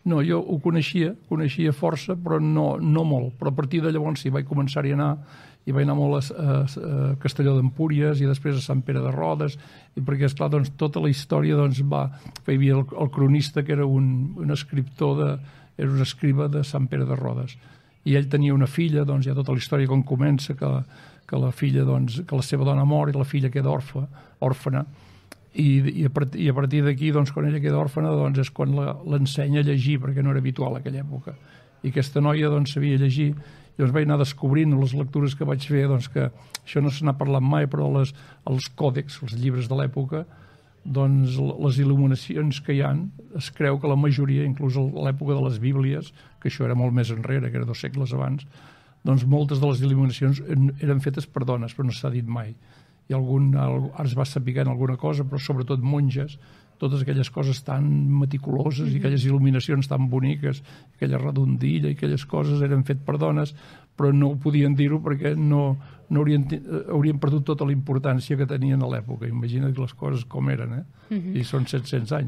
No, jo ho coneixia força, però no molt. Però a partir de llavors sí, vaig començar-hi a anar, i vaig anar molt a Castelló d'Empúries i després a Sant Pere de Rodes, i perquè, esclar, doncs, tota la història doncs, hi havia el cronista, que era un escriptor, era un escriba de Sant Pere de Rodes, i ell tenia una filla, doncs hi ha tota la història com comença, que la filla, doncs, que la seva dona mor i la filla queda òrfana, i a partir d'aquí, doncs, quan ella queda òrfana, doncs, és quan l'ensenya a llegir, perquè no era habitual en aquella època. I aquesta noia, doncs, sabia llegir. Llavors vaig anar descobrint les lectures que vaig fer, doncs, que això no se n'ha parlat mai, però els còdex, els llibres de l'època, doncs, les il·luminacions que hi ha, es creu que la majoria, inclús a l'època de les Bíblies, que això era molt més enrere, que era 2 segles abans, doncs moltes de les il·luminacions eren fetes per dones, però no s'ha dit mai. I ara es va sapiguent alguna cosa, però sobretot monges, totes aquelles coses tan meticuloses i aquelles il·luminacions tan boniques, aquella redondilla i aquelles coses eren fet per dones, però no ho podien dir-ho perquè haurien perdut tota la importància que tenien a l'època. Imagina't les coses com eren, I són 700 anys.